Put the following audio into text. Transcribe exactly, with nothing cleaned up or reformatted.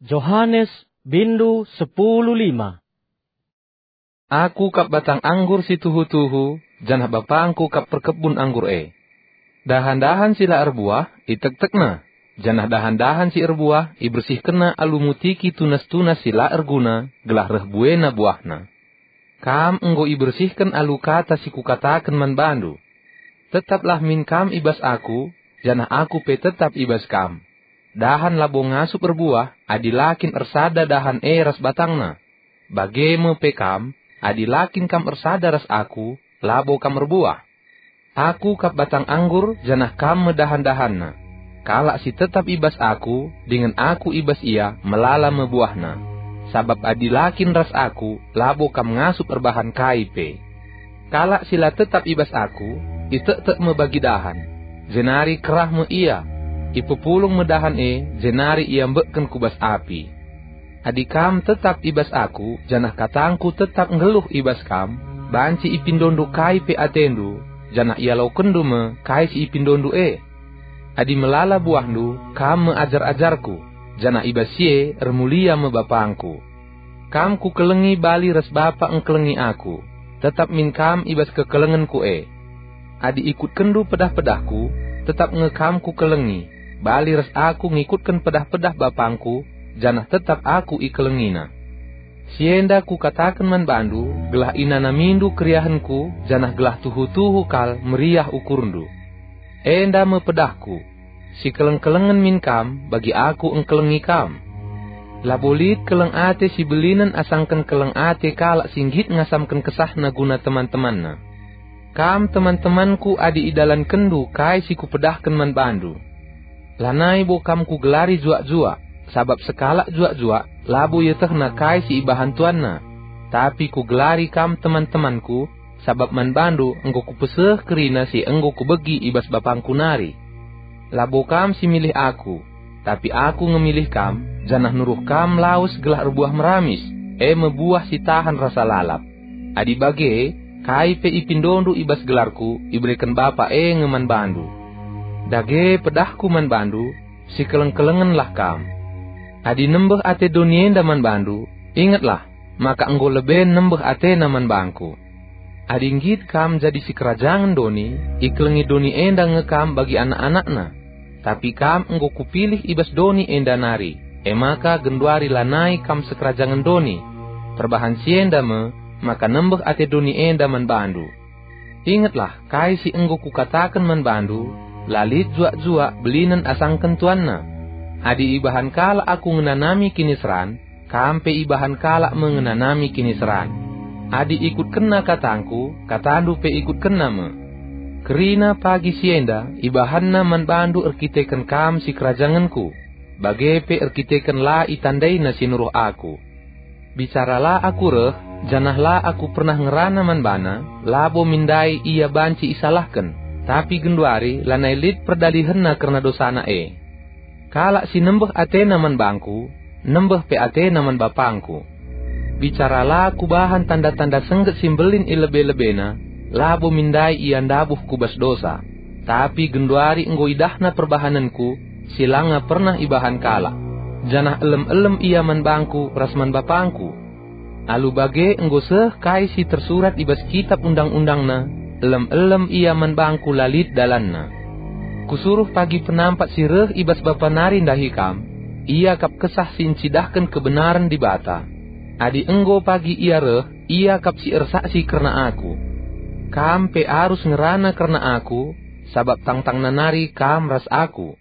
Johanes, bindu sepuluh lima. Aku kap batang anggur si tuhu-tuhu, janah BapangKu kap perkebun anggur e. Dahan-dahan si la erbuah, itektekNa, janah dahan-dahan si erbuah, ibersihkenNa alu mutiki tunas-tunas si la erguna, gelah reh buena buahna. Kam enggo ibersihken alu kata si Kukataken man bandu. Tetaplah min kam i bas Aku, janah Aku pe tetap i bas kam. Dahan labo ngasup erbuah, adi la kin ersada dahan e ras batangna. Bage me pe kam, adi la kin kam ersada ras Aku, labo kam erbuah. Aku kap batang anggur, janah kam me dahan-dahanna. Kalak si tetap i bas Aku, dingen Aku i bas ia, melala me buahna. Sabap adi la kin ras Aku, labo kam ngasup erbahan kai pe. Kalak si la tetap i bas Aku, itektek me bagi dahan, jenari kerah me ia. Ipepulung me dahan e, jenari iambekken ku bas api. Adi kam tetap i bas Aku, janah katangKu tetap nggeluh i bas kam, banci ipindondu kai pe atendu, janah ialokenndu me kai si ipindondu e. Adi melala buahndu, kam me ajar-ajarKu, janah i bas si e ermulia me BapangKu. Kam Kukelengi bali ras Bapa engkelengi Aku, tetap min kam i bas kekelengenKu e. Adi ikutkenndu pedah-pedahKu, tetap nge kam Kukelengi, bali ras Aku ngikutken pedah-pedah BapangKu, janah tetap Aku ikelengiNa. Si enda Kukataken man bandu, gelah inanamindu keriahenKu, janah gelah tuhu-tuhu kal meriah ukurndu. Enda me pedahKu, sikeleng-kelengen min kam, bagi Aku engkelengi kam. Labo lit keleng ate si belinen asangken keleng ate kalak si nggit ngasamken kesahna guna teman-temanna. Kam teman-temanKu adi idalankenndu kai si Kupedahken man bandu. Lanai bo kam Kugelari juak-juak, sabap sekalak juak-juak labo ietehna kai si ibahan tuanna. Tapi Kugelari kam teman-temanKu, sabap man bandu enggo Kupeseh kerina si enggo Kubegi i bas BapangKu nari. Labo kam si milih Aku, tapi Aku nge milih kam, janah nuruh kam lawes gelah erbuah meramis, e me buah si tahan rasa lalap. Adi bage, kai pe ipindondu i bas gelarKu, ibereken Bapa e nge man bandu. Dage pedahKu man bandu, sikeleng-kelengenlah kam. Adi nembeh ate doni enda man bandu, ingetlah, maka enggo lebe nembeh atena man bangKu. Adi nggit kam jadi sikerajangen doni, ikelengi doni enda nge kam bagi anak-anakna. Tapi kam enggo Kupilih i bas doni enda nari, e maka genduari lanai kam sikerajangen doni. Perbahan si enda me, maka nembeh ate doni enda man bandu. Ingetlah kai si enggo Kukataken man bandu, la lit juak-juak belinen asangken tuanna. Adi ibahan kalak Aku ngenanami kiniseran, kam pe ibahan kalak me ngenanami kiniseran. Adi ikutkenna katangKu, katandu pe ikutkenna me. Kerina pagi si enda ibahanna man bandu erkiteken kam sikerajangenKu, bage pe erkiteken la itandaina si nuruh Aku. Bicara la Aku reh, janah la Aku pernah ngerana man bana, labo min ndai ia banci isalahken, tapi genduari lanai lit perdalihenna kerna dosana e. Kalak si nembeh atena man bangKu, nembeh pe atena man BapangKu. Bicara la Kubahan tanda-tanda sengget si mbelin i lebe-lebena, labo min ndai ia ndabuh ku bas dosa. Tapi genduari enggo idahna perbahanenKu, si langa pernah ibahan kalak, janah elem-elem ia man bangKu ras man BapangKu. Alu bage enggo seh kai si tersurat i bas Kitap Undang-undangna, elem-elem ia man bangKu la lit dalanna. Kusuruh pagi penampat si reh i bas Bapa nari ndahi kam, ia kap Kesah si ncidahken kebenaren Dibata. Adi enggo pagi ia reh, ia kap si ersaksi kerna Aku. Kam pe arus ngerana kerna Aku, sabap tangtangna nari kam ras Aku.